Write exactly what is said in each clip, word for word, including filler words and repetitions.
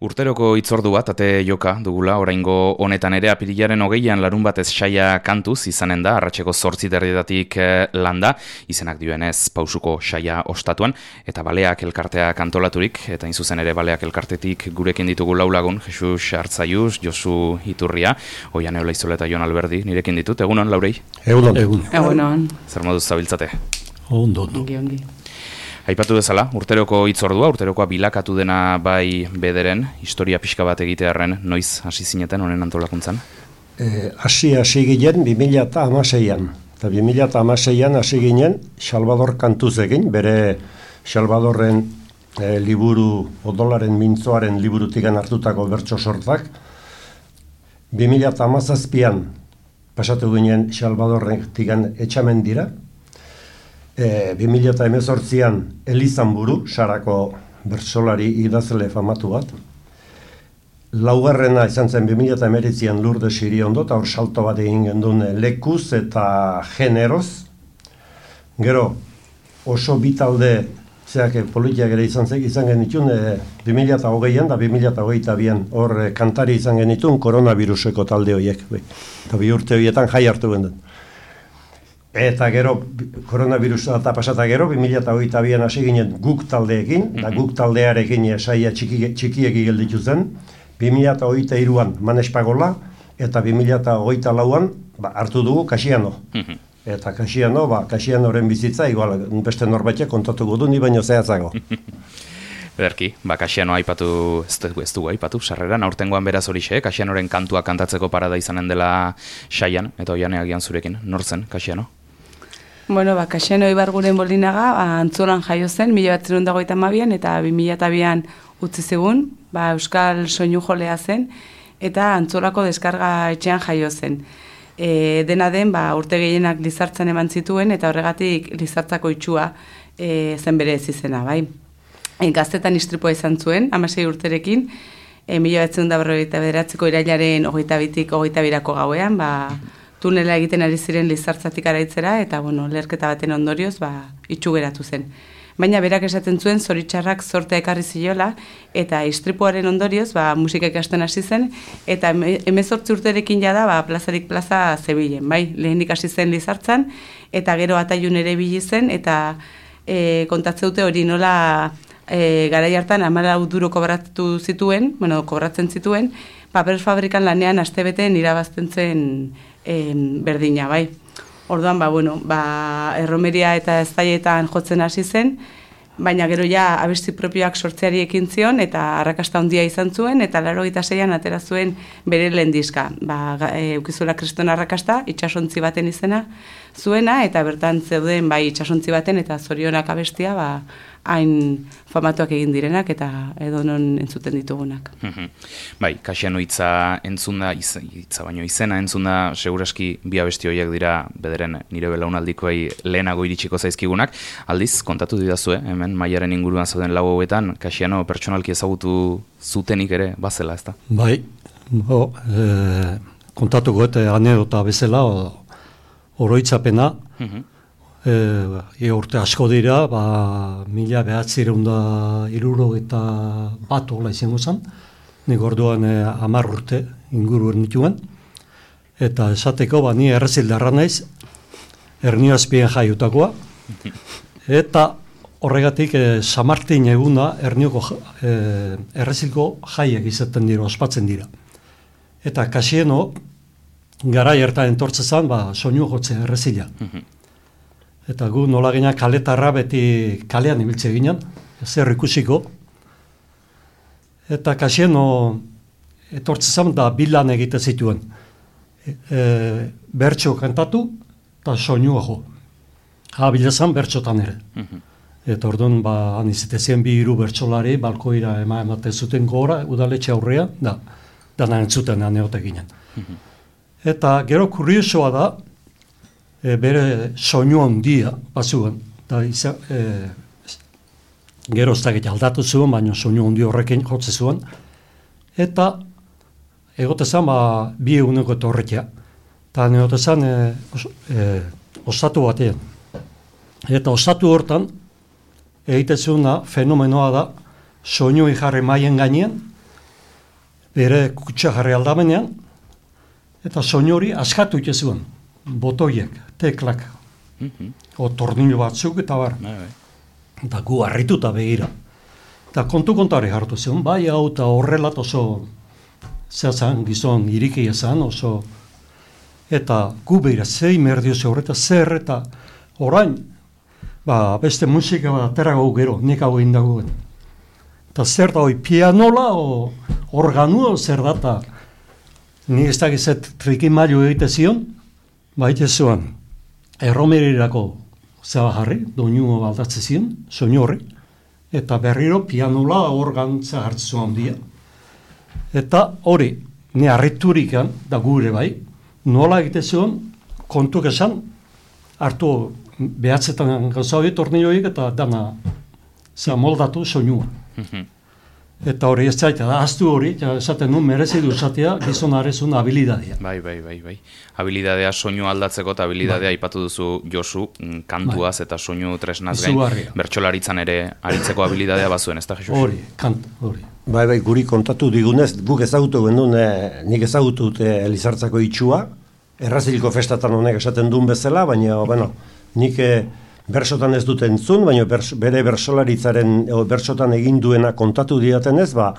Urteroko hitzordu bat, ate joka dugula, oraingo honetan ere apirilaren hogeian larun batez saia kantuz izanen da, arratseko zortzi derrietatik landa, izenak dioenez pausuko saia ostatuan, eta baleak elkarteak antolaturik, eta inzuzen ere baleak elkartetik gurekin ditugu lau lagun, Jesus Artzaiuz, Josu Iturria, Oian Eolaizola eta Jon Alberdi, nirekin ditut, egunon, Laurei? Egunon. Egun. Egunon. Zer moduz zabiltzate? Ondo. Ongi, ongi. Aipatu bezala, urteroko hitzordua, urterokoa bilakatu dena bai bederen, historia pixka bat egitearren, noiz hasi zineten honen antolakuntzan? Hasi e, hasi ginen bi mila hamaseian. Eta bi mila hamaseian hasi ginen Salvador kantuz egin, bere Salvadorren e, liburu, odolaren mintzoaren liburutikan hartutako bertso sortak. bi mila hamazazpian pasatu ginen Salvadorren tikan etxamen dira. E, bi mila hemezortzian Elizanburu, Sarako bertsolari idazle famatu bat. Laugarrena izan zen bi mila hemeretzian Lourdes Iriondo, eta hor salto bat egin gendun lekuz eta generoz. Gero, oso bitalde, zeak politiak ere izan zen, izan genitun, e, bi mila hogeian da bi mila hogeita bian hor e, kantari izan genitun koronaviruseko talde horiek. Eta bi urte horietan jai hartu gendun. Eta gero, koronavirusa eta pasata gero, bi mila hogeita bian hasi ginen guk taldeekin, da guk taldearekin saia txiki, txikieki gelditu zen, bi mila hogeita hiruan Manespagola, eta bi mila hogeita lauan ba, hartu dugu Kasiano. Eta Kasiano, ba, Kasianoren bizitza, igual beste norbaitek kontatuko du, ni baino zehatzago. Berki, ba, Kasiano aipatu, ez dugu, ez dugu aipatu, sarreran, aurtengoan beraz horixe, Kasianoren kantua kantatzeko parada izanen dela saian, eta Oiane agian zurekin, nor zen Kasiano? Bueno, ba, Kasiano Ibarguren Bolinaga, ba, Antzolan jaio zen, mila bat zirun dagoita mabian, eta bi mila bian utzi zigun, ba, Euskal Soinu jolea zen, eta Antzolako deskarga etxean jaio zen. E, dena den, ba, urte gehienak Lizartzan eman zituen, eta horregatik Lizartzako itxua e, zen bere ez izena, bai. E, gaztetan istripua izan zuen, hamasei urterekin, e, mila bat zirun da berrogeita bederatzeko irailaren hogeita bitik hogeita birako gauean, ba, tunela egiten ari ziren Lizartzatik araitzera, eta, bueno, leherketa baten ondorioz, ba, itxu geratu zen. Baina berak esaten zuen, zoritxarrak zortea ekarri ziola, eta istripuaren ondorioz, ba, musika ikasten hasi zen, eta hemezortzi urterekin jada, ba, plazarik plaza zebilen, bai, lehenik hasi zen Lizartzan, eta gero Ataiun ere bili zen, eta e, kontatzeute hori nola e, garai hartan hamalau duro kobratu zituen, bueno, kobratzen zituen, paper fabrikan lanean astebeten irabazten zen e, berdina, bai. Orduan, ba, bueno, ba, erromeria eta eztaietan jotzen hasi zen, baina gero ja abesti propioak sortzeari ekin zion, eta arrakasta handia izan zuen, eta laurogeita seian atera zuen bere lehen diska. Ba, e, Ukizula kriston arrakasta, itsasontzi baten izena zuena, eta bertan zeuden bai itsasontzi baten, eta zorionak abestia, ba, hain famatuak egin direnak, eta edonon entzuten ditugunak. Bai, Kasiano hitza entzunda, hitza baino izena entzunda, seguraski bi abesti horiek dira bederen nire belaunaldikoei lehenago iritsiko zaizkigunak. Aldiz, kontatu didazue, hemen Maiaren inguruan zauden lau hauetan, Kasiano pertsonalki ezagutu zutenik ere bazela, ezta? Bai, bo, e, kontatuko eta anedota bezala, oroitzapena, E, e urte asko dira, ba, mila behatzireun da iruro eta bat hola izango zen, nik orduan e, hamar urte inguru ernituen, eta esateko, ba, ni errezildarra naiz, Ernioazpien jaiutakoa, eta horregatik e, San Martin eguna Ernioko e, errezilko jaiak izaten dira, ospatzen dira. Eta Kasiano, garai hartan entortzen zen, ba, soinu jotzen errezila. Eta gu nola gina kaletarra beti kalean ibiltze ginen, zer ikusiko. Eta Kasiano etortzen da bilan egite zituen. E, e, bertso kantatu eta soinua jo. Ha, bilazan bertsotan ere. Eta orduan, ba, anizetezien bi hiru bertsolari, balkoira ema ematen zuten gora, udaletxe aurrean, da, dana entzuten aneote ginen. Eta gero kuriosoa da, E, bere soinu handia bazuen, eta izan, e, gero ez dakit aldatu zuen, baina soinu handi horrekin jotze zuen, eta egotezan ba, bi eguneko etorrekia, eta egotezan e, os, e, osatu batean. Eta osatu hortan, egitezuna fenomenoa da, soinu jarri maien gainean, bere kutsa jarri aldamenean, eta soinu hori askatu itezuen, botoiek, teklak, mm-hmm. o tornillo batzuk eta bar. Eta gu harrituta begira. Eta kontu kontari hartu zion, bai hau eta horrelat oso zehazan gizon iriki ezan, oso eta gu behira zei merdio ze horreta zer eta orain, ba, beste musika bat aterago gero, nik hau egin dagoen. Eta zer da hoi pianola o organua o zer data, nik ez dakizet trikimailu egite zion, baite zuen, erromerirako zeba jarri, doinu aldatze zion, soinu horri, eta berriro pianola organtza hartzu handia. Eta hori, ni harriturikan, da gure bai, nola egite zion, kontuk esan, hartu behatzetan gauza hori, tornilloik eta dana zea moldatu soinua. Eta hori ez zaita, da, aztu hori, ja, esaten nun, merezi du esatea, gizonarezun habilidadea. Bai, bai, bai, bai. Habilidadea soinu aldatzeko eta habilidadea bai. Aipatu duzu Josu, kantuaz bai. Eta soinu tresnaz gain, bertsolaritzan ere aritzeko habilidadea bazuen, ez da, Jesus? Hori, kant, hori. Bai, bai, guri kontatu digunez, guk ezagutu gendun, eh, nik ezagutut eh, Elizartzako itxua, erraziliko festatan honek esaten duen bezala, baina, bueno, nik... Eh, bersotan ez dut entzun, baina bers, bere bersolaritzaren, o, bersotan egin duena kontatu diatenez, ba,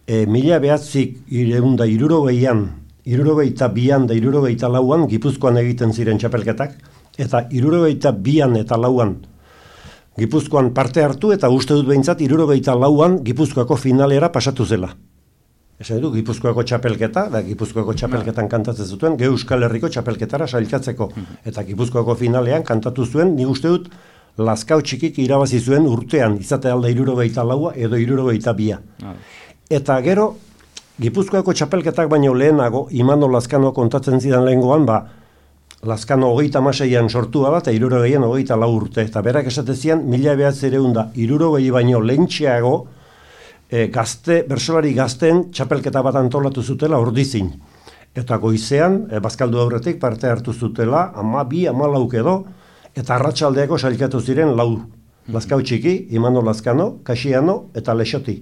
e, mila behatzik ireunda irurogeian, irurogeita bian da irurogeita lauan, Gipuzkoan egiten ziren txapelketak, eta irurogeita bian eta lauan Gipuzkoan parte hartu, eta uste dut behintzat irurogeita lauan Gipuzkoako finalera pasatu zela. Esan du, Gipuzkoako txapelketa, da Gipuzkoako txapelketan kantatzen zuten, Ge Euskal Herriko txapelketara sailkatzeko. Eta Gipuzkoako finalean kantatu zuen, nik uste dut, Lazkao txikik irabazi zuen urtean, izate alda irurogeita laua edo irurogeita bia. Eta gero, Gipuzkoako txapelketak baino lehenago, Imano Lazkano kontatzen zidan lehengoan, ba, Lazkano hogeita hamaseian sortua da, eta irurogeian hogeita lau urte. Eta berak esatezian, mila behatzireunda irurogei baino lehentxeago, E, gazte, bersolari gazten txapelketa bat antolatu zutela ordizin. Eta goizean, e, bazkaldu aurretik parte hartu zutela, ama bi, ama lauk edo, eta arratsaldeako sailkatu ziren lau. Lazkao txiki, Imano Lazkano, Kasiano eta Lexoti.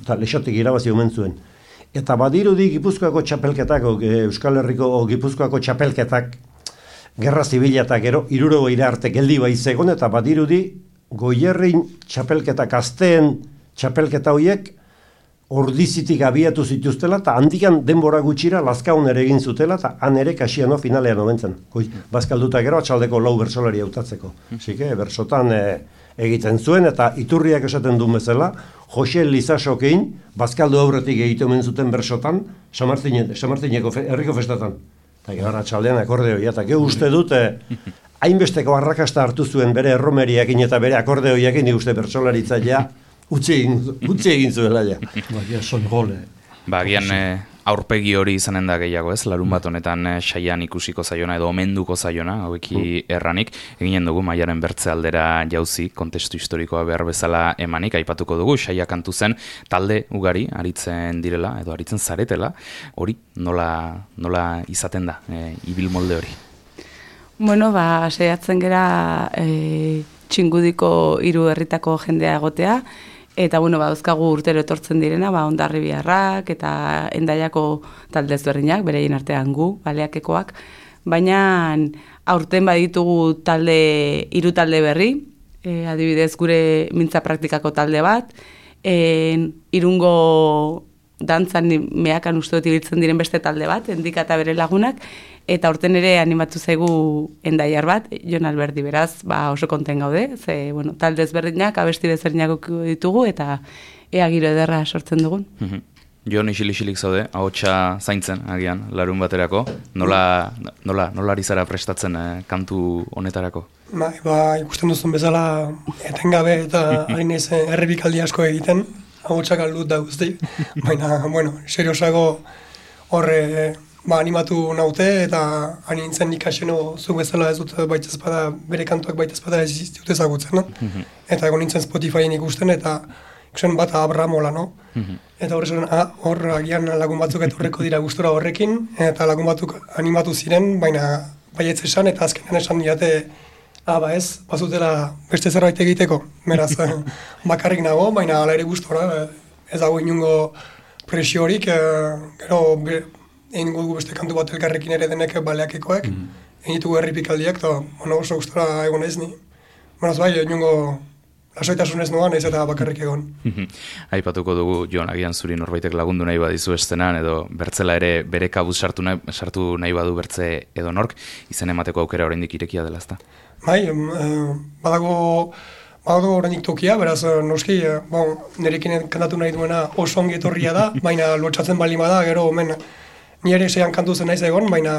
Eta Lexotik irabazi omen zuen. Eta badirudi Gipuzkoako txapelketak, e, Euskal Herriko o, Gipuzkoako txapelketak, gerra zibila eta gero, irurogeira arte geldi baizegon, eta badirudi Goierrin txapelketak azteen txapelketa horiek ordizitik abiatu zituztela, eta handikan denbora gutxira Lazkaon ere egin zutela, eta han ere Kasiano finalean omentzen. Bazkalduta gero atxaldeko lau bersolari hautatzeko. Zike, bersotan e, egiten zuen, eta iturriak esaten duen bezala, Jose Lizasokein, bazkaldu aurretik egiten omen zuten bersotan, Samartineko fe, herriko festatan. Eta gero atxaldean akordeoia, eta gero uste dute, hainbesteko arrakasta hartu zuen bere erromeriakin eta bere akordeoiakin, nik uste bertsolaritzailea, Utsi egin zuela, ja. Baina, son gole. Ba, gian aurpegi hori izanen da gehiago, ez? Larun bat honetan saian ikusiko zaiona edo omenduko zaiona, haueki erranik. Eginen dugu, Maiaren bertze aldera jauzi, kontestu historikoa behar bezala emanik, aipatuko dugu, saia kantu zen, talde ugari, aritzen direla, edo aritzen zaretela, hori nola, nola izaten da, e, ibil molde hori? Bueno, ba, saiatzen gera e, txingudiko hiru herritako jendea egotea, eta bueno, ba, dauzkagu urtero etortzen direna, ba, Hondarribiarrak eta Hendaiako talde ezberdinak, bereien artean gu, baleakekoak, baina aurten baditugu talde, hiru talde berri, e, adibidez gure mintza praktikako talde bat, e, Irungo dantzan mehakan uste dut ibiltzen diren beste talde bat, Endika eta bere lagunak, eta aurten ere animatu zaigu Hendaiar bat, Jon Alberdi, beraz, ba, oso konten gaude, ze, bueno, talde ezberdinak, abesti desberdinak ditugu, eta ea giro ederra sortzen dugun. Mm-hmm. Jon isilik zaude, ahotsa zaintzen, agian, larun baterako, nola, nola, nola ari zara prestatzen eh, kantu honetarako? Ba, ba, ikusten duzun bezala, etengabe eta hain ez errepikaldi asko egiten, ahotsak aldut da guzti, baina, bueno, seriosago horre, ba, animatu naute, eta anintzen ikaseno zu bezala ez dut baita ezpada, bere kantuak baita ezpada ez dut ezagutzen, no? Mm-hmm. Eta egon nintzen Spotifyen ikusten, eta ikusten bat Abramola, no? Mm-hmm. Eta horre ah, hor agian lagun batzuk etorreko dira gustura horrekin, eta lagun batzuk animatu ziren, baina baietz esan, eta azkenean esan diate, ah, ba ez, bazutela beste zerbait egiteko, beraz, bakarrik nago, baina ala ere gustora, ez dago inungo presiorik, e, gero be, egin dugu beste kantu bat elkarrekin ere denek baleakekoek, mm. egin ditugu herripikaldiak, eta bueno, oso gustora egon ez ni. Bueno, bai, niongo lasoitasunez noan, ez eta bakarrik egon. Aipatuko dugu, Jon, agian zuri norbaitek lagundu nahi badizu estenan, edo bertzela ere bere kabuz sartu nahi, sartu nahi badu bertze edo nork, izen emateko aukera oraindik irekia dela, ezta? Bai, e, badago, badago oraindik tokia, beraz, noski, e, bon, nerekin kantatu nahi duena oso ongi etorria da, baina lotxatzen bali bada, gero, omen, ni ere seian kantu zen naiz egon, baina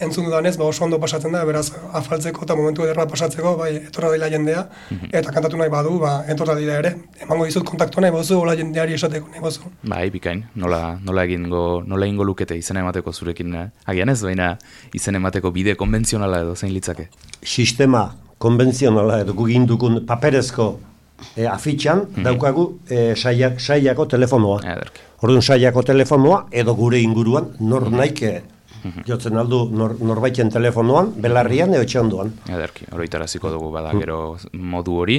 entzun dudanez, ba oso ondo pasatzen da, beraz, afaltzeko eta momentu ederra pasatzeko, bai, etorra dela jendea, eta kantatu nahi badu, ba, etorra dira ere. Emango dizut kontaktu nahi bozu, hola jendeari esateko nahi bozu. Bai, bikain, nola, nola egingo, nola egingo lukete izen emateko zurekin, eh? Agian ez, baina izen emateko bide konbentzionala edo zein litzake? Sistema konbentzionala edo gugindukun paperezko e, afitxan, mm-hmm. daukagu e, saia, saiako telefonoa. Ederki. Orduan saiako telefonoa edo gure inguruan nor naike jotzen aldu nor, norbaiten telefonoan, belarrian edo etxeondoan. Ederki, oroitaraziko dugu bada gero modu hori,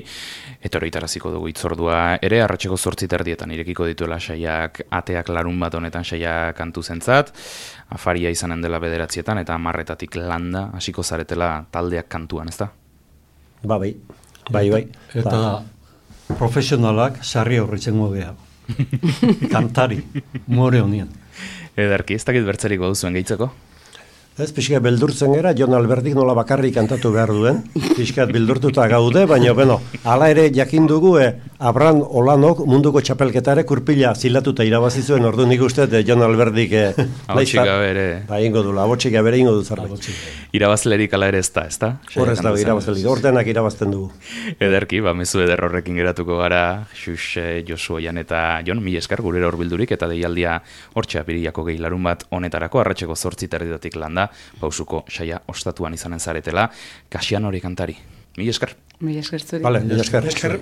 eta oroitaraziko dugu itzordua ere, arratseko zortzi terdietan irekiko dituela saiak ateak larun bat honetan saia kantu zentzat, afaria izanen dela bederatzietan, eta amarretatik landa hasiko zaretela taldeak kantuan, ezta? Ba, bai, bai, bai. Eta ba. Profesionalak sarri horretzen gogea. Kantari, more honien. Ederki, ez dakit bertzerik baduzuen gehitzeko? Ez, pixka beldurtzen gara, Jon Alberdik nola bakarrik kantatu behar duen, pixkat beldurtuta gaude, baina, bueno, hala ere jakin dugu, e, Abran Olanok munduko txapelketare kurpila zilatuta irabazi zuen, ordu nik uste, e, Jon Alberdik e, Abotxika bere. Ba, ingo du, abotxika bere ingo du zerbait. Irabazlerik ala ere ez da, ez da? Horrez dago irabazlerik, ordenak irabazten dugu. Ederki, ba, mezu eder horrekin geratuko gara, Xux, Josu Oian eta Jon, mila esker gurera horbildurik, eta deialdia hortxe apiriako gehi larun bat honetarako, arratseko zortzi terdidatik landa, pausuko saia ostatuan izanen zaretela, Kasian hori kantari. Mila esker. Mila esker zuri. Vale, mila esker. Esker.